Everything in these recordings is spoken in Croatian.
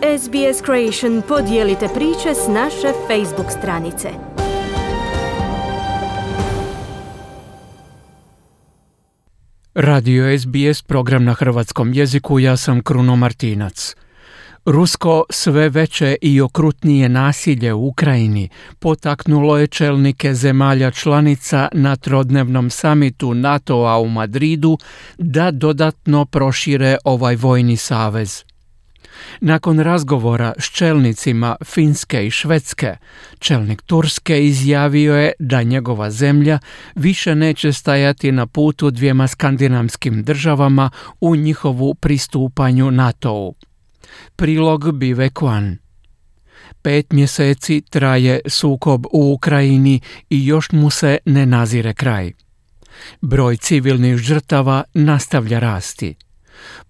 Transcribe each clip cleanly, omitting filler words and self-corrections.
SBS Creation podijelite priče s naše Facebook stranice. Radio SBS, program na hrvatskom jeziku, ja sam Kruno Martinac. Rusko sve veće i okrutnije nasilje u Ukrajini potaknulo je čelnike zemalja članica na trodnevnom samitu NATO-a u Madridu da dodatno prošire ovaj vojni savez. Nakon razgovora s čelnicima Finske i Švedske, čelnik Turske izjavio je da njegova zemlja više neće stajati na putu dvijema skandinavskim državama u njihovu pristupanju NATO-u. Prilog Bive Kwan. 5 mjeseci traje sukob u Ukrajini i još mu se ne nazire kraj. Broj civilnih žrtava nastavlja rasti.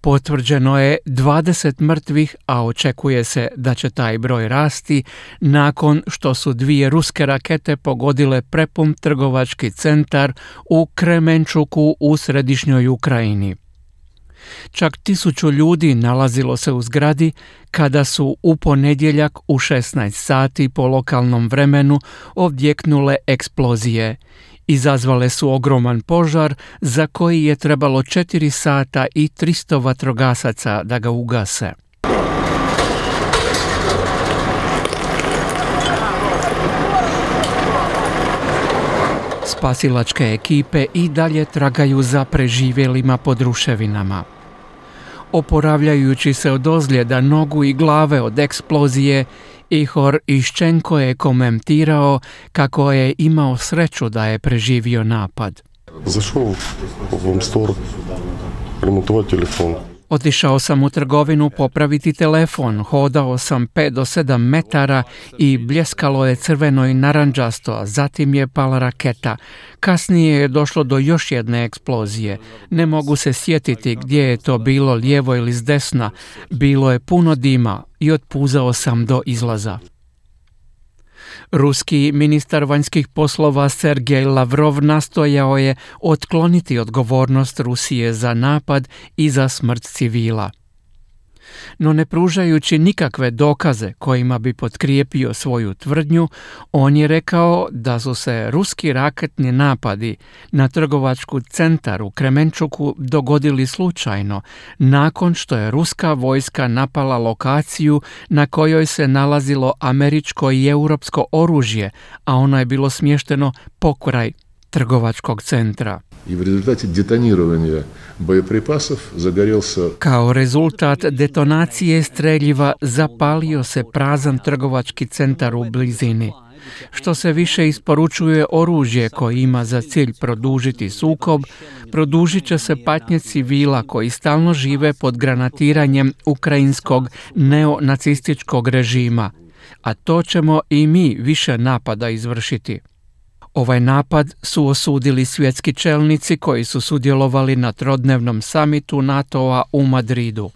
Potvrđeno je 20 mrtvih, a očekuje se da će taj broj rasti nakon što su 2 ruske rakete pogodile prepun trgovački centar u Kremenčuku u središnjoj Ukrajini. Čak 1000 ljudi nalazilo se u zgradi kada su u ponedjeljak u 16 sati po lokalnom vremenu odjeknule eksplozije. Izazvale su ogroman požar za koji je trebalo 4 sata i 300 vatrogasaca da ga ugase. Spasilačke ekipe i dalje tragaju za preživjelima pod ruševinama. Oporavljajući se od ozljeda nogu i glave od eksplozije, Ihor Iščenko je komentirao kako je imao sreću da je preživio napad. Zašao u store, remontovati telefon. Otišao sam u trgovinu popraviti telefon, hodao sam 5 do 7 metara i bljeskalo je crveno i narandžasto, a zatim je pala raketa. Kasnije je došlo do još jedne eksplozije. Ne mogu se sjetiti gdje je to bilo, lijevo ili s desna. Bilo je puno dima i otpuzao sam do izlaza. Ruski ministar vanjskih poslova Sergej Lavrov nastojao je otkloniti odgovornost Rusije za napad i za smrt civila. No ne pružajući nikakve dokaze kojima bi potkrijepio svoju tvrdnju, on je rekao da su se ruski raketni napadi na trgovački centar u Kremenčuku dogodili slučajno, nakon što je ruska vojska napala lokaciju na kojoj se nalazilo američko i europsko oružje, a ono je bilo smješteno pokraj trgovačkog centra. I u rezultatu detoniranja bojepripasov zagorjelся. Kao rezultat detonacije streljiva zapalio se prazan trgovački centar u blizini. Što se više isporučuje oružje koje ima za cilj produžiti sukob, produžit će se patnje civila koji stalno žive pod granatiranjem ukrajinskog neonacističkog režima, a to ćemo i mi više napada izvršiti. Ovaj napad su osudili svjetski čelnici koji su sudjelovali na trodnevnom samitu NATO-a u Madridu.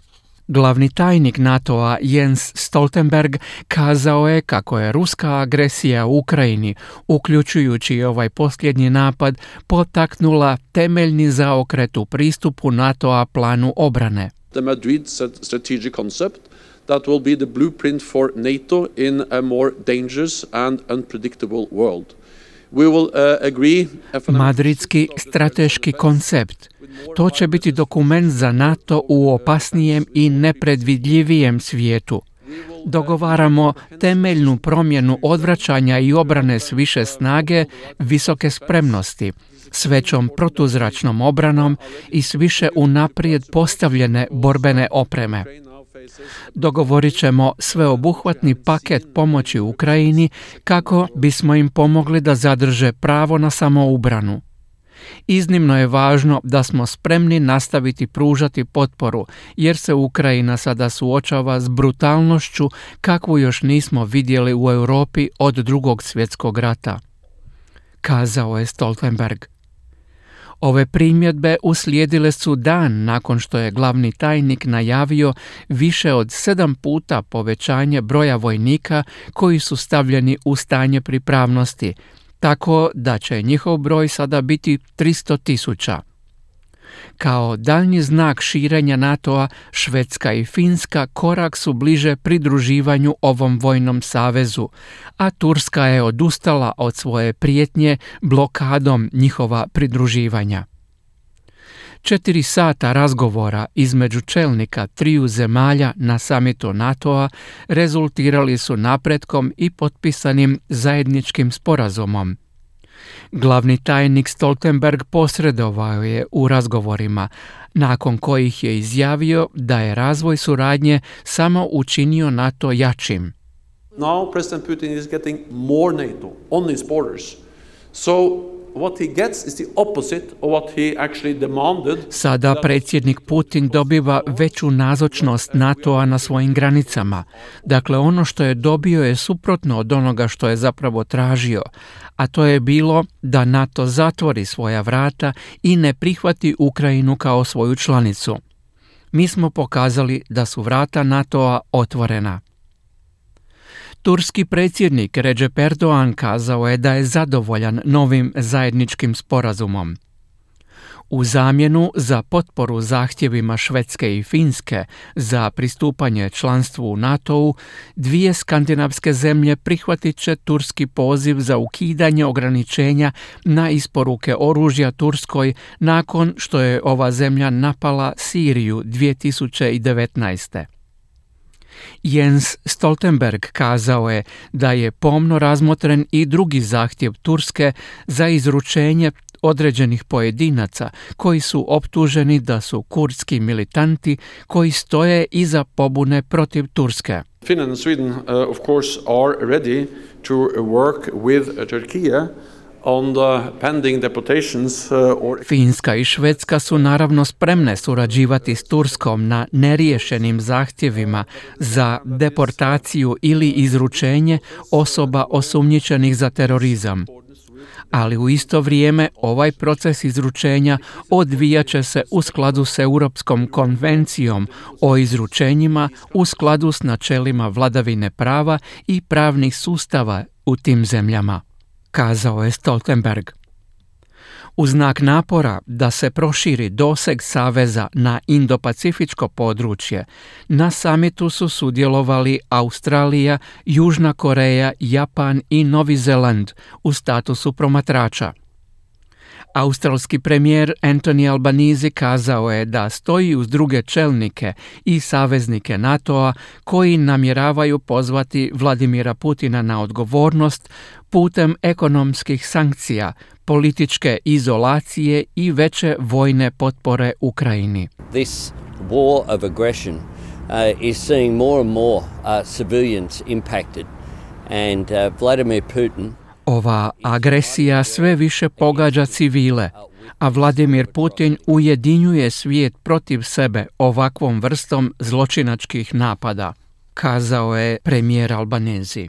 Glavni tajnik NATO-a Jens Stoltenberg kazao je kako je ruska agresija u Ukrajini, uključujući ovaj posljednji napad, potaknula temeljni zaokret u pristupu NATO-a planu obrane. The Madrid strategic concept that will be the blueprint for NATO in a more dangerous and unpredictable world. Madridski strateški koncept. To će biti dokument za NATO u opasnijem i nepredvidljivijem svijetu. Dogovaramo temeljnu promjenu odvraćanja i obrane s više snage, visoke spremnosti, s većom protuzračnom obranom i s više unaprijed postavljene borbene opreme. Dogovorit ćemo sveobuhvatni paket pomoći Ukrajini kako bismo im pomogli da zadrže pravo na samoobranu. Iznimno je važno da smo spremni nastaviti pružati potporu, jer se Ukrajina sada suočava s brutalnošću kakvu još nismo vidjeli u Europi od Drugog svjetskog rata, kazao je Stoltenberg. Ove primjedbe uslijedile su dan nakon što je glavni tajnik najavio više od 7 puta povećanje broja vojnika koji su stavljeni u stanje pripravnosti, tako da će njihov broj sada biti 300.000. Kao daljnji znak širenja NATO-a, Švedska i Finska korak su bliže pridruživanju ovom vojnom savezu, a Turska je odustala od svoje prijetnje blokadom njihova pridruživanja. 4 sata razgovora između čelnika triju zemalja na samitu NATO-a rezultirali su napretkom i potpisanim zajedničkim sporazumom. Glavni tajnik Stoltenberg posredovao je u razgovorima, nakon kojih je izjavio da je razvoj suradnje samo učinio NATO jačim. Now President Putin is getting more NATO on his borders. So what he gets is the opposite of what he actually demanded. Sada predsjednik Putin dobiva veću nazočnost NATO-a na svojim granicama. Dakle, ono što je dobio je suprotno od onoga što je zapravo tražio, a to je bilo da NATO zatvori svoja vrata i ne prihvati Ukrajinu kao svoju članicu. Mi smo pokazali da su vrata NATO-a otvorena. Turski predsjednik Recep Erdogan kazao je da je zadovoljan novim zajedničkim sporazumom. U zamjenu za potporu zahtjevima Švedske i Finske za pristupanje članstvu u NATO-u, 2 skandinavske zemlje prihvatit će turski poziv za ukidanje ograničenja na isporuke oružja Turskoj nakon što je ova zemlja napala Siriju 2019. Jens Stoltenberg kazao je da je pomno razmotren i drugi zahtjev Turske za izručenje određenih pojedinaca koji su optuženi da su kurdski militanti koji stoje iza pobune protiv Turske. Finland and Sweden, of course, are ready to work with Turkey on the pending deportations Finska i Švedska su naravno spremne surađivati s Turskom na neriješenim zahtjevima za deportaciju ili izručenje osoba osumnjičenih za terorizam. Ali u isto vrijeme ovaj proces izručenja odvijat će se u skladu s Europskom konvencijom o izručenjima u skladu s načelima vladavine prava i pravnih sustava u tim zemljama, kazao je Stoltenberg. U znak napora da se proširi doseg saveza na Indo-Pacifičko područje, na samitu su sudjelovali Australija, Južna Koreja, Japan i Novi Zeland u statusu promatrača. Australski premijer Anthony Albanese kazao je da stoji uz druge čelnike i saveznike NATO-a koji namjeravaju pozvati Vladimira Putina na odgovornost putem ekonomskih sankcija, političke izolacije i veće vojne potpore Ukrajini. This war of aggression is seeing more and more civilians impacted and Vladimir Putin. Ova agresija sve više pogađa civile, a Vladimir Putin ujedinjuje svijet protiv sebe ovakvom vrstom zločinačkih napada, kazao je premijer Albanese.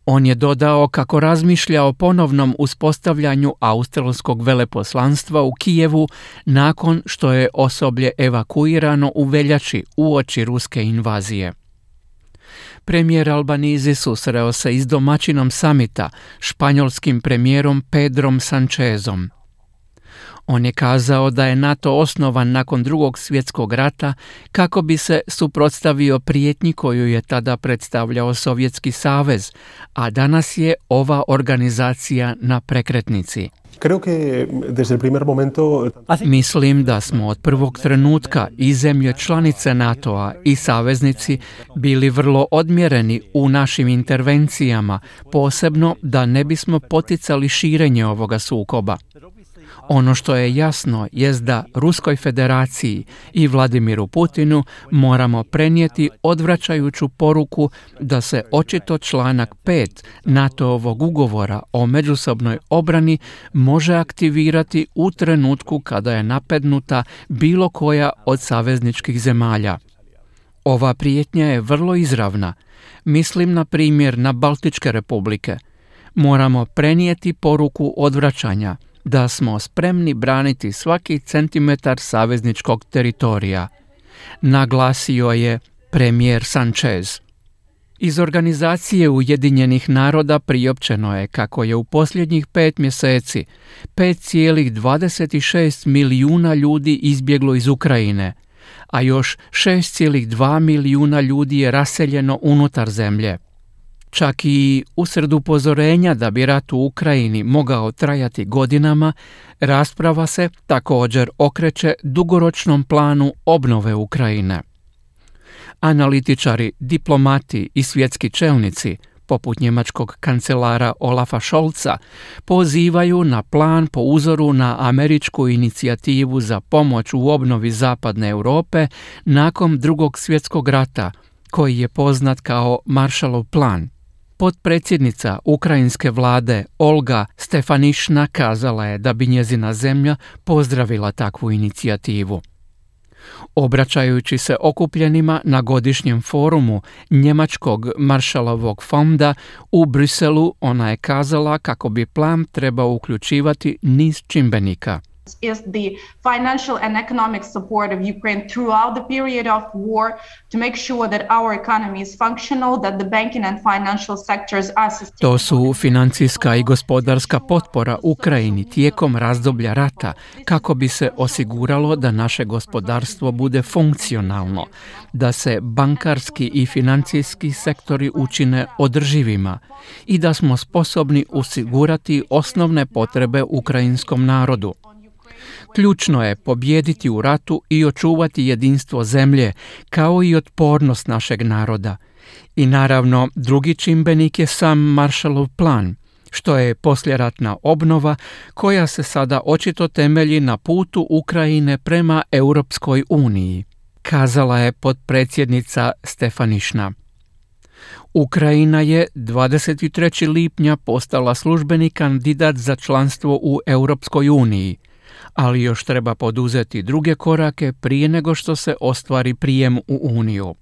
On je dodao kako razmišlja o ponovnom uspostavljanju australskog veleposlanstva u Kijevu nakon što je osoblje evakuirano u veljači uoči ruske invazije. Premijer Albanese susreo se i s domaćinom samita, španjolskim premijerom Pedrom Sanchezom. On je kazao da je NATO osnovan nakon Drugog svjetskog rata kako bi se suprotstavio prijetnji koju je tada predstavljao Sovjetski savez, a danas je ova organizacija na prekretnici. Mislim da smo od prvog trenutka i zemlje članice NATO-a i saveznici bili vrlo odmjereni u našim intervencijama, posebno da ne bismo poticali širenje ovoga sukoba. Ono što je jasno jest da Ruskoj federaciji i Vladimiru Putinu moramo prenijeti odvraćajuću poruku da se očito članak 5 NATO-ovog ugovora o međusobnoj obrani može aktivirati u trenutku kada je napadnuta bilo koja od savezničkih zemalja. Ova prijetnja je vrlo izravna. Mislim na primjer na Baltičke republike. Moramo prenijeti poruku odvraćanja, da smo spremni braniti svaki centimetar savezničkog teritorija, naglasio je premijer Sanchez. Iz Organizacije Ujedinjenih naroda priopćeno je kako je u posljednjih 5 mjeseci 5,26 milijuna ljudi izbjeglo iz Ukrajine, a još 6,2 milijuna ljudi je raseljeno unutar zemlje. Čak i usred upozorenja da bi rat u Ukrajini mogao trajati godinama, rasprava se također okreće dugoročnom planu obnove Ukrajine. Analitičari, diplomati i svjetski čelnici, poput njemačkog kancelara Olafa Scholza, pozivaju na plan po uzoru na američku inicijativu za pomoć u obnovi zapadne Europe nakon Drugog svjetskog rata, koji je poznat kao Marshallov plan. Potpredsjednica ukrajinske vlade Olga Stefanišna kazala je da bi njezina zemlja pozdravila takvu inicijativu. Obraćajući se okupljenima na godišnjem forumu njemačkog Marshallovog fonda u Briselu, ona je kazala kako bi plan trebao uključivati niz čimbenika. Is the financial and economic support of Ukraine throughout the period of war to make sure that our economy is functional, that the banking and financial sectors are sustainable. To su financijska i gospodarska potpora Ukrajini tijekom razdoblja rata kako bi se osiguralo da naše gospodarstvo bude funkcionalno, da se bankarski i financijski sektori učine održivima i da smo sposobni osigurati osnovne potrebe ukrajinskom narodu. Ključno je pobijediti u ratu i očuvati jedinstvo zemlje, kao i otpornost našeg naroda. I naravno, drugi čimbenik je sam Marshallov plan, što je poslijeratna obnova koja se sada očito temelji na putu Ukrajine prema Europskoj uniji, kazala je potpredsjednica Stefanišna. Ukrajina je 23. lipnja postala službeni kandidat za članstvo u Europskoj uniji, ali još treba poduzeti druge korake prije nego što se ostvari prijem u Uniju.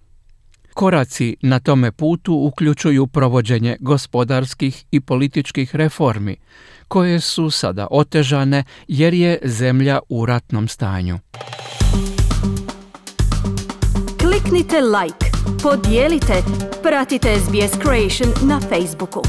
Koraci na tome putu uključuju provođenje gospodarskih i političkih reformi, koje su sada otežane jer je zemlja u ratnom stanju. Kliknite like, podijelite, pratite SBS Creation na Facebooku.